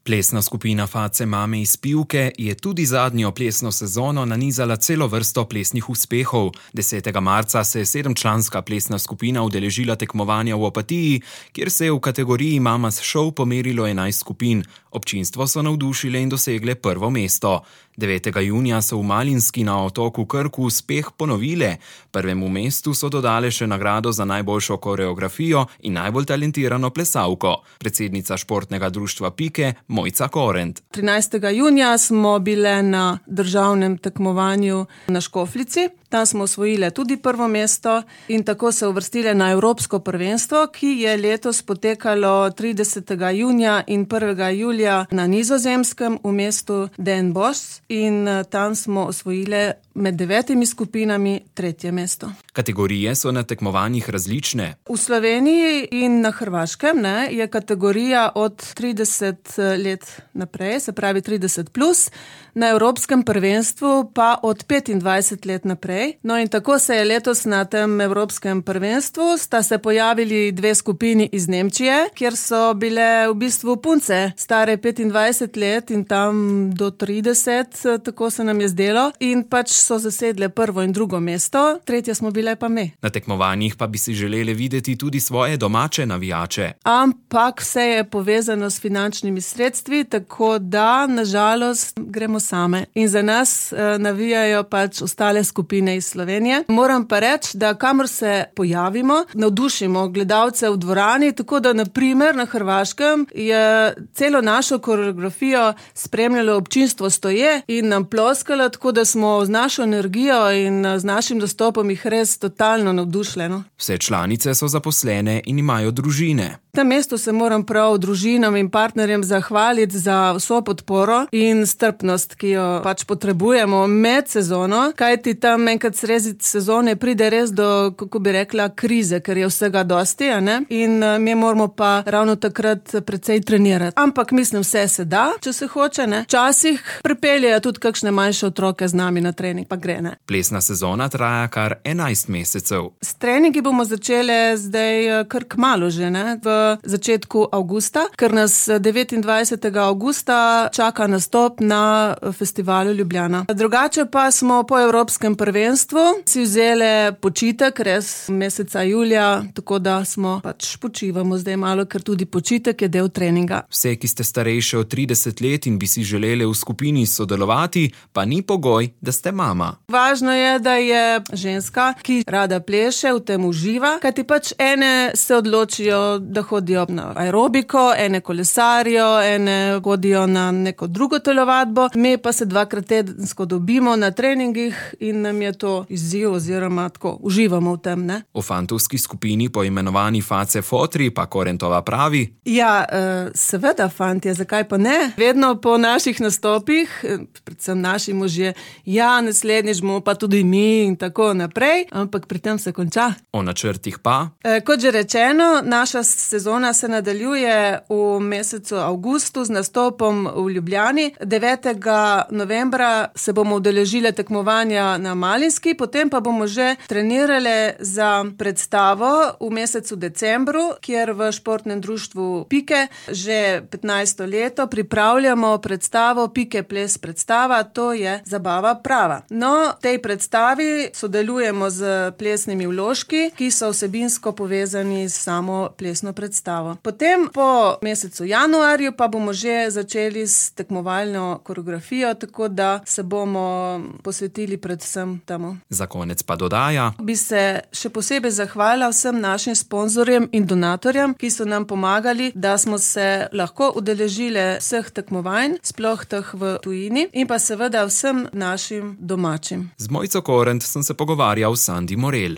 Plesna skupina Face mame iz Pivke je tudi zadnjo plesno sezono nanizala celo vrsto plesnih uspehov. 10. marca se je 7-članska plesna skupina udeležila tekmovanja v Opatiji, kjer se je v kategoriji Mamas Show pomerilo 11 skupin. Občinstvo so navdušile in dosegle prvo mesto. 9. junija so v Malinski na otoku Krku uspeh ponovile. Prvemu mestu so dodale še nagrado za najboljšo koreografijo in najbolj talentirano plesalko. Predsednica športnega društva Pike Mojca Korent. 13. junija smo bile na državnem tekmovanju na Škofljici. Tam smo osvojile tudi prvo mesto in tako se uvrstile na Evropsko prvenstvo, ki je letos potekalo 30. junija in 1. julija na Nizozemskem v mestu Den Bosch in tam smo osvojile med 9 skupinami 3. mesto. Kategorije so na tekmovanjih različne. V Sloveniji in na Hrvaškem je kategorija od 30 let naprej, se pravi 30+, na Evropskem prvenstvu pa od 25 let naprej. No in tako se je letos na tem Evropskem prvenstvu sta se pojavili 2 skupini iz Nemčije, kjer so bile v bistvu punce stare 25 let in tam do 30, tako se nam je zdelo, in pač so zasedle prvo in drugo mesto, 3. smo bile pa mi. Na tekmovanjih pa bi si želeli videti tudi svoje domače navijače. Ampak vse je povezano s finančnimi sredstvi, tako da na žalost gremo same. In za nas navijajo pač ostale skupine iz Slovenije. Moram pa reči, da kamor se pojavimo, navdušimo gledalce v dvorani, tako da na primer na Hrvaškem je celo našo koreografijo spremljalo občinstvo stoje in nam ploskalo, tako da smo z našo energijo in z našim dostopom jih res totalno navdušili. Vse članice so zaposlene in imajo družine. Na mestu se moram prav družinam in partnerjem zahvaliti za vso podporo in strpnost, ki jo pač potrebujemo med sezono, kajti tam enkrat sredi sezone pride res do, kako bi rekla, krize, ker je vsega dosti, in mi moramo pa ravno takrat precej trenirati. Ampak mislim, vse se da, če se hoče, Včasih pripeljejo tudi kakšne manjše otroke z nami na trening, pa gre, Plesna sezona traja kar 11 mesecev. S treningi bomo začele zdaj kar kmalu že, v začetku avgusta, ker nas 29. avgusta čaka nastop na festivalu Ljubljana. Drugače pa smo po Evropskem prvenstvu si vzele počitek, res meseca julija, tako da smo pač počivamo zdaj malo, ker tudi počitek je del treninga. Vse, ki ste starejše od 30 let in bi si želeli v skupini sodelovati, pa ni pogoj, da ste mama. Važno je, da je ženska, ki rada pleše, v tem uživa, kajti pač ene se odločijo, da hodijo na aerobiko, ene kolesarijo, ene hodijo na neko drugo telovadbo, mi pa se 2-krat tedensko dobimo na treningih in nam je to izziv oziroma tako uživamo v tem. O fantovski skupini poimenovani Face Fotri pa Korentova pravi: Ja, seveda fantje, zakaj pa ne? Vedno po naših nastopih, predvsem naši možje, ja, naslednjič bomo pa tudi mi in tako naprej, ampak pri tem se konča. O načrtih pa? Kot že rečeno, naša sezona se nadaljuje v mesecu avgustu z nastopom v Ljubljani. 9. novembra se bomo udeležile tekmovanja na Malinski, potem pa bomo že trenirale za predstavo v mesecu decembru, kjer v športnem društvu Pike že 15. leto pripravljamo predstavo Pike ples predstava, to je zabava prava. No, v tej predstavi sodelujemo z plesnimi vložki, ki so vsebinsko povezani s samo plesno predstavo. Potem po mesecu januarju pa bomo že začeli s tekmovalno koreografijo, tako da se bomo posvetili predvsem temu. Za konec pa dodaja: Bi se še posebej zahvalila vsem našim sponzorjem in donatorjem, ki so nam pomagali, da smo se lahko udeležile vseh tekmovanj, sploh teh v tujini, in pa seveda vsem našim domačim. Z Mojco Korent sem se pogovarjal s Sandi Morel.